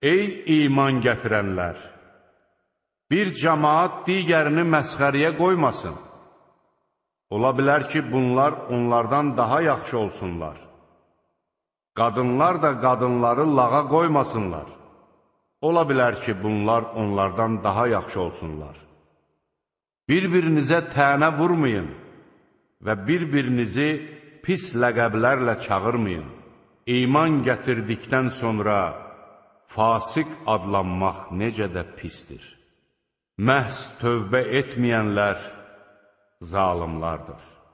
Ey iman gətirənlər! Bir cəmaat digərini məsxəriyə qoymasın. Ola bilər ki, bunlar onlardan daha yaxşı olsunlar. Qadınlar da qadınları lağa qoymasınlar. Ola bilər ki, bunlar onlardan daha yaxşı olsunlar. Bir-birinizə tənə vurmayın və bir-birinizi pis ləqəblərlə çağırmayın. İman gətirdikdən sonra fasiq adlanmaq necə də pisdir. Məhz tövbə etməyənlər zalimlardır.